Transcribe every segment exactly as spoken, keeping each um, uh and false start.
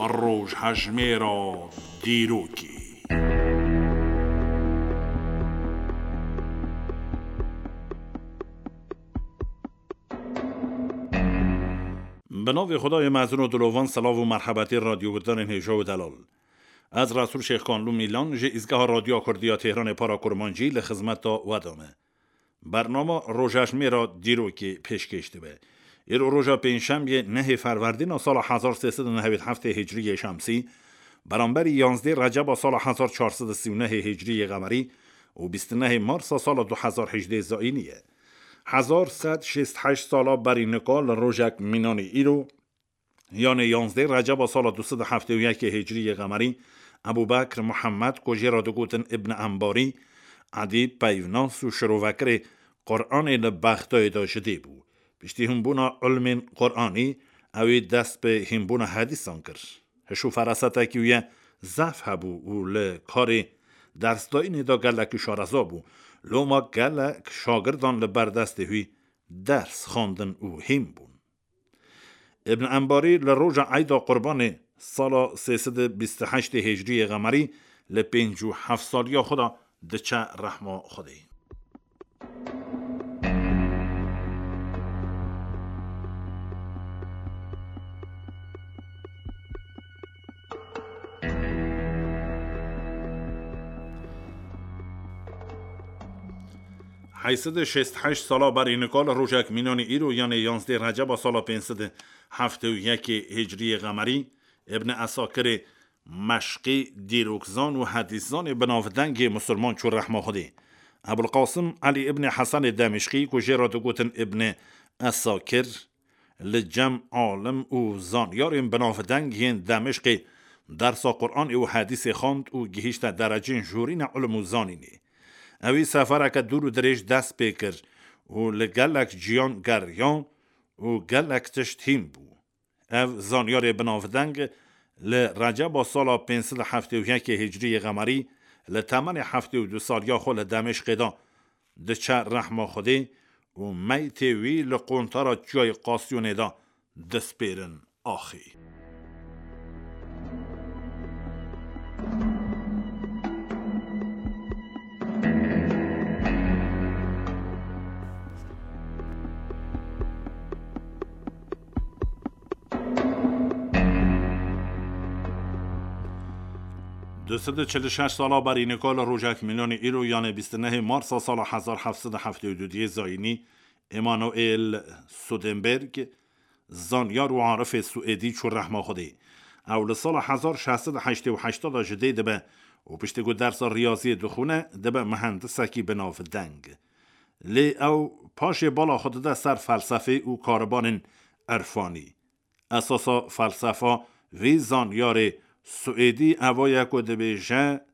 Rojhejmêra dîrokê. Bi navê Xwedayê mezin û dilovan, selav û merhebetê radyoguhdarên hêja û delal. Ez Resûl Şêxkanlû Mîlan ji Îzgeha Radyoya Kurdî ya Têhranê Para Kurmancî li xizmeta we de me. Bernama Rojhejmêra dîrokê pêşkêş dibe. Îro roja pêncşembiyê nehê Ferwerdîna sala hezar sê sed û nehewî heftê Hicriyê Şemsî, beramberî yanzdê Receba sala hezar çar sed û sî û nehê Hicriyê Qemerî û bîst û nehê Marsa sala du hezar hejdê Zayînî ye. Hezar sed şêst heşt sala berî nika li rojek mînanî îro, yanê yanzdê Receba sala du sed û heftê û yekê Hicriyê Qemerî, Ebû Bekr Muhammed, ku jê re digotin Ibn Embarî, edîb, peyvnas û şirovekirê Quranê li Bexdayê de ji dê bû. Piştî hînbûna ilmên Quranî, ew ê dest bi hînbûna hedîsan kir. Hiş û ferasetekî wî ye zehf hebû û li karê dersdayînê de gelekî şareza bû. Loma gelek şagirdan li ber destê wî ders xwendin û hîn bûn. Ibn Embarî li roja Eyda Qurbanê sala sê sed û bîst û heştê Hicriyê Qemerî li pêncî û heft saliya xwe de diçe rehma Xwedê. Heyt sed û şêst heşt sala berî nika li rojek mînanî îro, yanê yanzdê Receba sala pênc sed û heftê û yekê Hicriyê Qemerî, Ibn Esakirê meşqî dîrokzan û hedîszanê binavdengê musulman çû rehma Xwedê. Ebul Qasim Elî Ibn Hesenê Demişqî, ku jê re digotin Ibn Esakir, li cem alim û zanyarên binavdeng yên Demişqê dersa Quranê û hedîsê xwend û gihîşte derecên jorîne ilm û zanînê. Ewî sefereke dûr û dirêj dest pê kir û li gelek ciyan geriya û gelek tişt hîn bû. Ev zanyarê binavdeng li Receba sala pênc sed û heftê û yekê Hicriyê Qemerî li temenê heftê û du saliya xwe li Demişqê de diçe rehma Xwedê û meytê wî li qontara Çiyayê Qasyonê de dispêrin axê. Du sed û çil û şeş sala berî nika li rojek mînanî îro, yanê bîst û nehê Marsa sala hezar heft sed û heftê û du diyê zayînî, Emanuel Sudenberg, zanyar û arifê Swêdî çû rehma Xwedê. Ew li sala hezar şeş sed û heştê û heşt de ji dê dibe û piştî ku dersa riyaziyê dixwine, dibe mihendisekî binavdeng. Lê ew paşê bala xwe dide ser felsefê û karibanên irfanî. Esasa felsefa vî zanyarê Swêdî eva ye ku dibêje,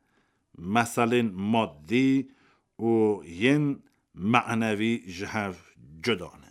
meselên maddî û yên menevî ji hev cuda ne.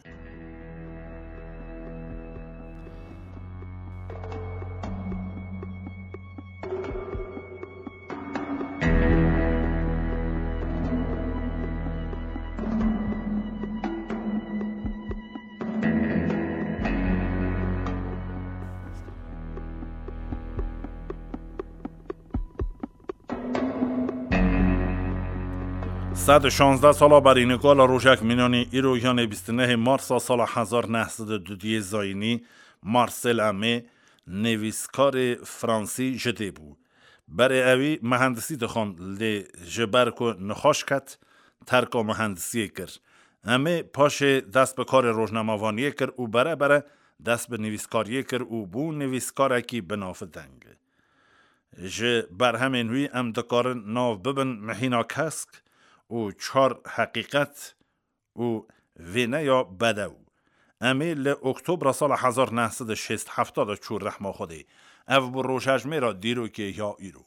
Sed û şazdeh sala berî nika li rojek mînanî îro, yanê bîst û nehê Marsa sala hezar neh sed û dudiyê zayînî, Marcel Aimé, nivîskarê fransî ji dê bû. Berê ewî mihendisî dixwend, lê ji ber ku nixweş ket, terka mihendisiyê kir. Aimé paşê dest bi karê rojnamevaniyê kir û bere bere dest bi nivîskariyê kir û bû nivîskarekî binavdeng. Ji berhemên wî em dikarin nav bibin Mihîna Kesk û Çar Heqîqet û Vêneya Bedew. Aimé li Oktobra sala hezar neh sed û şêst heft de çû rehma Xwedê. Ev bû rojhejmêra dîrokê ya îro.